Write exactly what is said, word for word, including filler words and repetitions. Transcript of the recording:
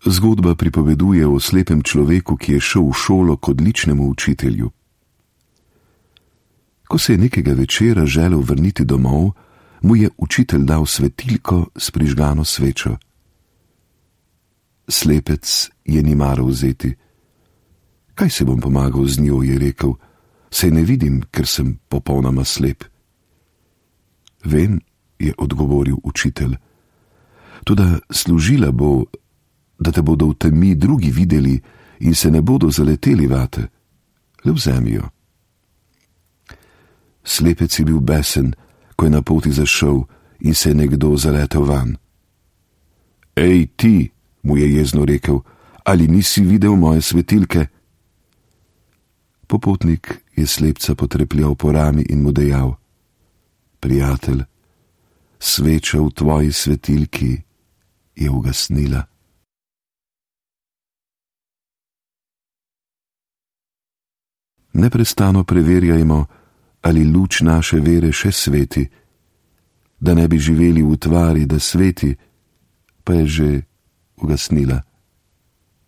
Zgodba pripoveduje o slepem človeku, ki je šel v šolo k odličnemu učitelju. Ko se je nekega večera želel vrniti domov, mu je učitelj dal svetilko s prižgano svečo. Slepec je ni maral vzeti. Kaj se bom pomagal z njo, je rekel, saj ne vidim, ker sem popolnoma slep. Vem, je odgovoril učitelj, toda služila bo, da te bodo v temi drugi videli in se ne bodo zaleteli vate. Le vzemi jo. Slepec je bil besen, ko je na poti zašel in se je nekdo zaletel van. Ej ti, mu je jezno rekel, ali nisi videl moje svetilke? Popotnik je slepca potrepljal po rami in mu dejal: Prijatelj, sveča v tvoji svetilki je ugasnila. Neprestano preverjajmo, ali luč naše vere še sveti, da ne bi živeli v utvari, da sveti, pa je že ugasnila.